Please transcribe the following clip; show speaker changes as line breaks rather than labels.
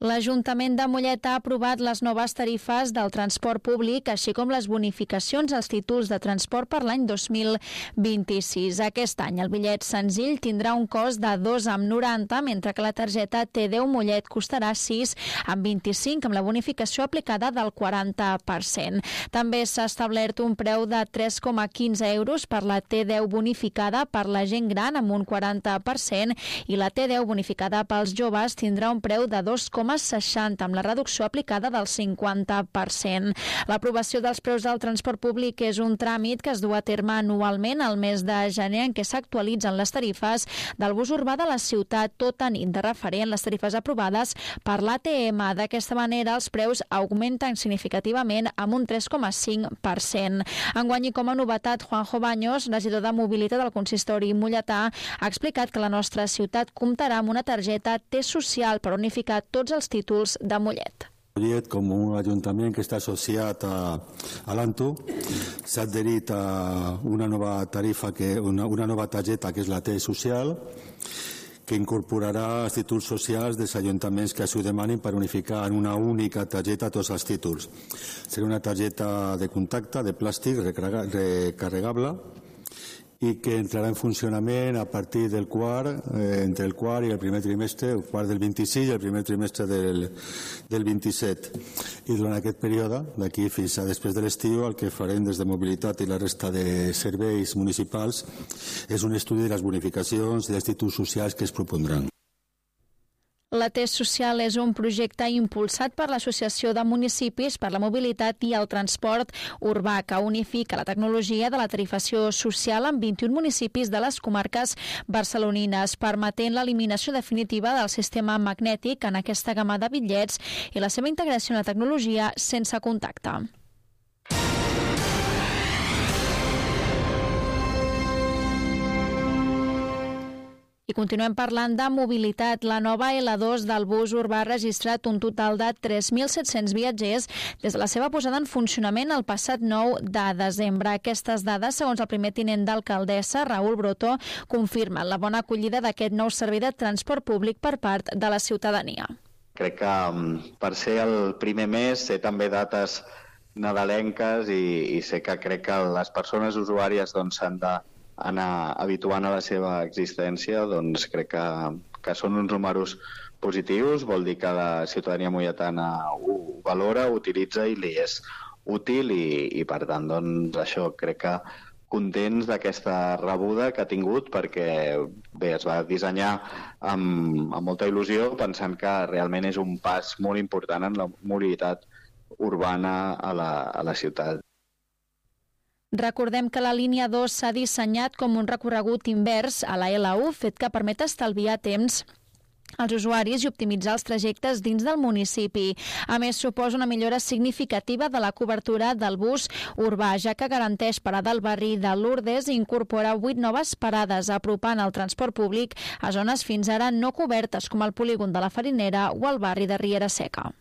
L'Ajuntament de Mollet ha aprovat les noves tarifes del transport públic, així com les bonificacions als títols de transport per l'any 2026. Aquest any el bitllet senzill tindrà un cost de 2,90, mentre que la targeta T10 Mollet costarà 6,25, amb la bonificació aplicada del 40%. També s'ha establert un preu de 3,15 euros per la T10 bonificada per la gent gran amb un 40% i la T10 bonificada pels joves tindrà un preu de 2,60 amb la reducció aplicada del 50%. L'aprovació dels preus del transport públic és un tràmit que es du a terme anualment al mes de gener, en què s'actualitzen les tarifes del bus urbà de la ciutat, tot tenint de referent les tarifes aprovades per l'ATM. D'aquesta manera, els preus augmenten significativament amb un 3,5%. Enguany, i com a novetat, Juanjo Baños, regidor de Mobilitat del consistori molletà, ha explicat que la nostra ciutat comptarà amb una targeta T-Social per unificar tots els títols de Mollet.
Mollet, com un ajuntament que està associat a l'ANTU, s'ha adherit a una nova tarifa, una nova targeta que és la T-Social, que incorporarà els títols socials dels ajuntaments que així ho demanin per unificar en una única targeta tots els títols. Serà una targeta de contacte, de plàstic, recarregable, i que entrarà en funcionament a partir del entre el quart i el primer trimestre, el quart del 26 i el primer trimestre del 27. I durant aquest període, d'aquí fins a després de l'estiu, el que farem des de Mobilitat i la resta de serveis municipals és un estudi de les bonificacions i dels títols socials que es propondran.
La T-Social és un projecte impulsat per l'Associació de Municipis per la Mobilitat i el Transport Urbà, que unifica la tecnologia de la tarifació social en 21 municipis de les comarques barcelonines, permetent l'eliminació definitiva del sistema magnètic en aquesta gamma de bitllets i la seva integració en la tecnologia sense contacte. I continuem parlant de mobilitat. La nova L2 del bus urbà ha registrat un total de 3.700 viatgers des de la seva posada en funcionament el passat 9 de desembre. Aquestes dades, segons el primer tinent d'alcaldessa, Raül Brotó, confirmen la bona acollida d'aquest nou servei de transport públic per part de la ciutadania.
Crec que per ser el primer mes sé també dates nadalenques i sé que crec que les persones usuàries s'han d'anar habituant a la seva existència, doncs crec que són uns números positius, vol dir que la ciutadania molletana ho valora, ho utilitza i li és útil i per tant, doncs això crec que contents d'aquesta rebuda que ha tingut perquè bé, es va dissenyar amb molta il·lusió pensant que realment és un pas molt important en la mobilitat urbana a la ciutat.
Recordem que la línia 2 s'ha dissenyat com un recorregut invers a la L1, fet que permet estalviar temps als usuaris i optimitzar els trajectes dins del municipi. A més, suposa una millora significativa de la cobertura del bus urbà, ja que garanteix parada al barri de Lourdes i incorpora 8 noves parades, apropant el transport públic a zones fins ara no cobertes, com el polígon de la Farinera o el barri de Riera Seca.